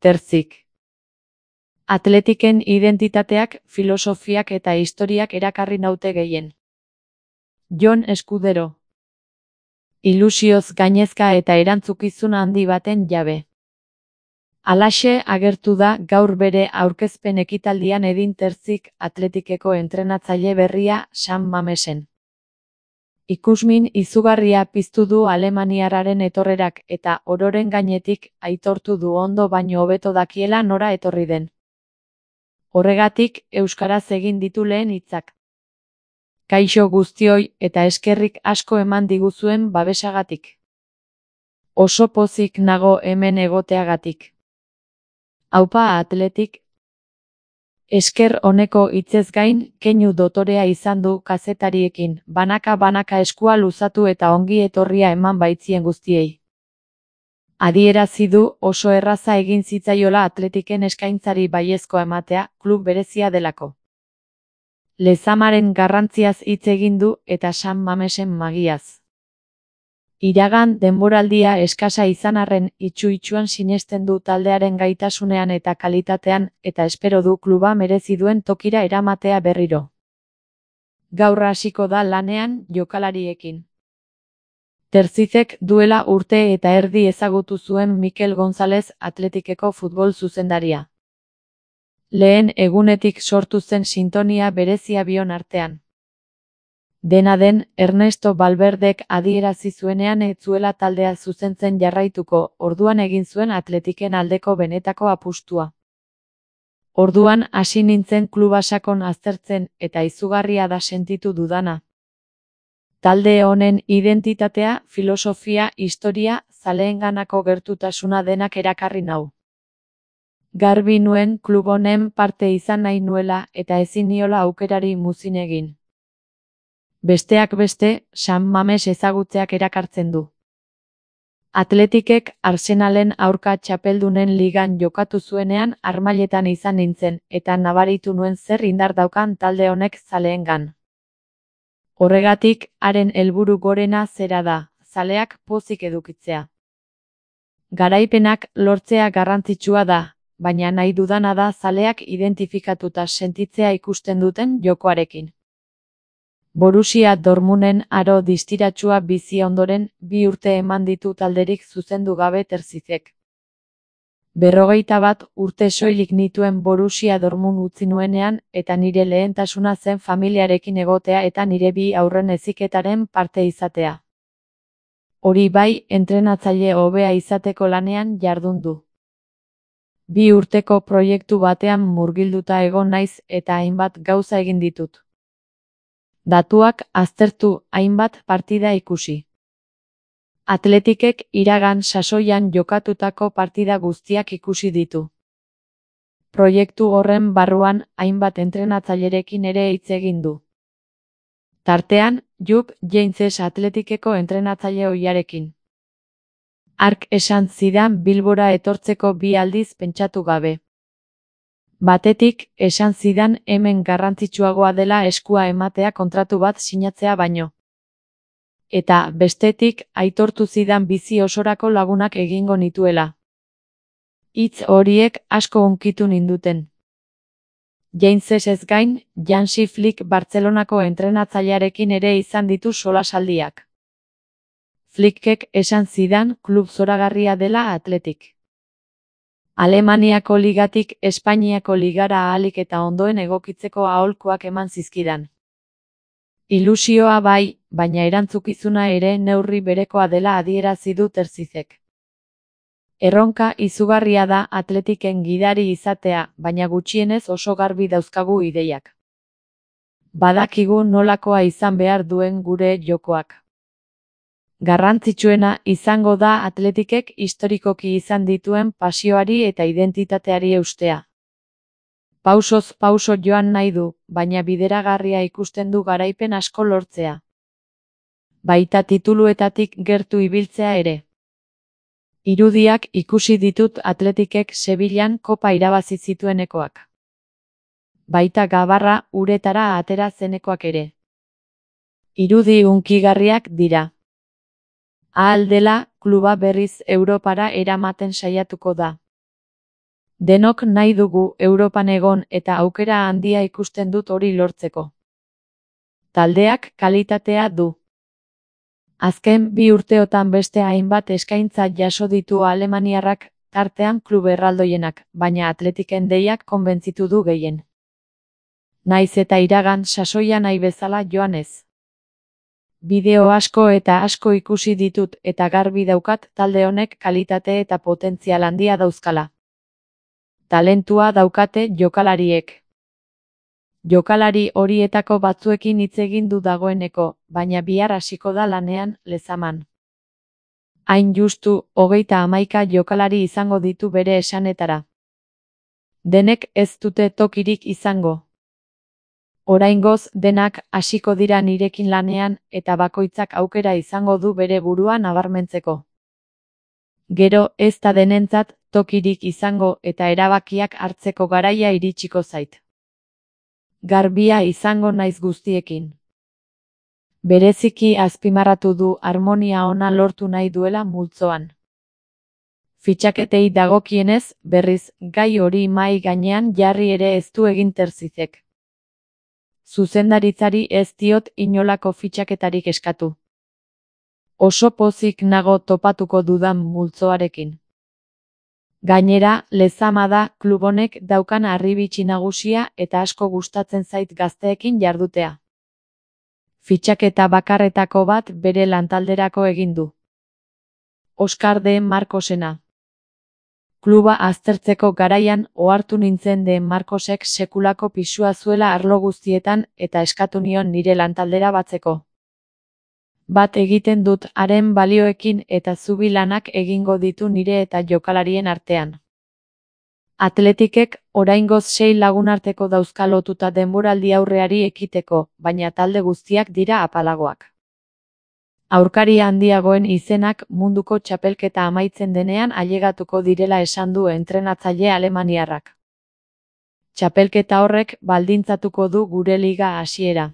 Terzik. Atletiken identitateak, filosofiak eta historiak erakarri naute gehien. Jon Eskudero. Ilusioz gainezka eta erantzukizun handi baten jabe. Halaxe agertu da gaur bere aurkezpen ekitaldian Edin Terzik Atletikeko entrenatzaile berria San Mamesen. Ikusmin izugarria piztu du alemaniarraren etorrerak eta ororen gainetik aitortu du ondo baino hobeto dakiela nora etorri den. Horregatik euskaraz egin ditu lehen hitzak. Kaixo guztioi eta eskerrik asko eman diguzuen babesagatik. Oso pozik nago hemen egoteagatik. Aupa Atletik. Esker honeko hitzez gain, keinu dotorea izan du kazetariekin, banaka eskua luzatu eta ongi etorria eman baitzien guztiei. Adierazi du oso erraza egin zitzaiola Atletiken eskaintzari baiezkoa ematea, klub berezia delako. Lezamaren garrantziaz hitz egin du eta San Mamesen magiaz. Iragan denboraldia eskasa izan arren itsu-itsuan sinesten du taldearen gaitasunean eta kalitatean eta espero du kluba merezi duen tokira eramatea berriro. Gaur hasiko da lanean jokalariekin. Terzizek duela urte eta erdi ezagutu zuen Mikel González Atletikeko futbol zuzendaria. Lehen egunetik sortu zen sintonia berezia bion artean. Dena den, Ernesto Valverdek adierazi zuenean ez zuela taldea zuzentzen jarraituko, orduan egin zuen Atletiken aldeko benetako apustua. Orduan hasi nintzen kluba sakon aztertzen eta izugarria da sentitu dudana. Talde honen identitatea, filosofia, historia, zaleenganako gertutasuna denak erakarri nau. Garbi nuen klub honen parte izan nahi nuela eta ezin niola aukerari muzin egin. Besteak beste, San Mames ezagutzeak erakartzen du. Atletikek Arsenalen aurka txapeldunen ligan jokatu zuenean harmailetan izan nintzen eta nabaritu nuen zer indar daukan talde honek zaleengan. Horregatik, haren helburu gorena zera da, zaleak pozik edukitzea. Garaipenak lortzea garrantzitsua da, baina nahi dudana da zaleak identifikatuta sentitzea ikusten duten jokoarekin. Borussia Dortmunden aro distiratsua bizi ondoren 2 urte eman ditu talderik zuzendu gabe Terzizek. 41 urte soilik nituen Borussia Dortmund utzi nuenean eta nire lehentasuna zen familiarekin egotea eta nire 2 haurren heziketaren parte izatea. Hori bai, entrenatzaile hobea izateko lanean jardun du. 2 urteko proiektu batean murgilduta egon naiz eta hainbat gauza egin ditut. Datuak aztertu, hainbat partida ikusi. Atletikek iragan sasoian jokatutako partida guztiak ikusi ditu. Proiektu horren barruan hainbat entrenatzailerekin ere hitz egin du. Tartean, Jupp Heynckes Atletikeko entrenatzaile ohiarekin. Hark esan zidan Bilbora etortzeko 2 aldiz pentsatu gabe. Batetik, esan zidan hemen garrantzitsuagoa dela eskua ematea kontratu bat sinatzea baino. Eta, bestetik, aitortu zidan bizi osorako lagunak egingo nituela. Hitz horiek asko hunkitu ninduten. Heynckes ez gain, Hansi Flick Bartzelonako entrenatzailearekin ere izan ditu solasaldiak. Flickek esan zidan klub zoragarria dela Atletik. Alemaniako ligatik Espainiako ligara ahalik eta ondoen egokitzeko aholkuak eman zizkidan. Ilusioa bai, baina erantzukizuna ere neurri berekoa dela adierazi du Terzizek. Erronka izugarria da Atletiken gidari izatea, baina gutxienez oso garbi dauzkagu ideiak. Badakigu nolakoa izan behar duen gure jokoak. Garrantzitsuena izango da Atletikek historikoki izan dituen pasioari eta identitateari eustea. Pausoz pauso joan nahi du, baina bideragarria ikusten du garaipen asko lortzea. Baita tituluetatik gertu ibiltzea ere. Irudiak ikusi ditut Atletikek Sevillan kopa irabazi zituenekoak. Baita gabarra uretara atera zenekoak ere. Irudi hunkigarriak dira. Ahal dela, kluba berriz Europara eramaten saiatuko da. Denok nahi dugu Europan egon eta aukera handia ikusten dut hori lortzeko. Taldeak kalitatea du. Azken 2 urteotan beste hainbat eskaintza jaso ditu alemaniarrak, tartean klub erraldoienak, baina Atletiken deiak konbentzitu du gehien. Naiz eta iragan sasoia nahi bezala joan ez. Bideo asko eta asko ikusi ditut eta garbi daukat talde honek kalitate eta potentzial handia dauzkala. Talentua daukate jokalariek. Jokalari horietako batzuekin hitz egin du dagoeneko, baina bihar hasiko da lanean Lezaman. Hain justu, 31 jokalari izango ditu bere esanetara. Denek ez dute tokirik izango. Oraingoz denak hasiko dira nirekin lanean eta bakoitzak aukera izango du bere burua nabarmentzeko. Gero ez da denentzat tokirik izango eta erabakiak hartzeko garaia iritsiko zait. Garbia izango naiz guztiekin. Bereziki azpimarratu du harmonia ona lortu nahi duela multzoan. Fitxaketei dagokienez, berriz, gai hori mahai gainean jarri ere ez du egin Terzizek. Zuzendaritzari ez diot inolako fitxaketarik eskatu. Oso pozik nago topatuko dudan multzoarekin. Gainera, Lezama da klub honek daukan harribitxi nagusia eta asko gustatzen zait gazteekin jardutea. Fitxaketa bakarretako bat bere lantalderako egin du. Oskar de Marcosena. Kluba aztertzeko garaian ohartu nintzen de Marcosek sekulako pisua zuela arlo guztietan eta eskatu nion nire lantaldera batzeko. Bat egiten dut haren balioekin eta zubi lanak egingo ditu nire eta jokalarien artean. Atletikek oraingoz 6 lagunarteko dauzka lotuta denboraldi aurreari ekiteko, baina talde guztiak dira apalagoak. Aurkari handiagoen izenak munduko txapelketa amaitzen denean ailegatuko direla esan du entrenatzaile alemaniarrak. Txapelketa horrek baldintzatuko du gure liga hasiera.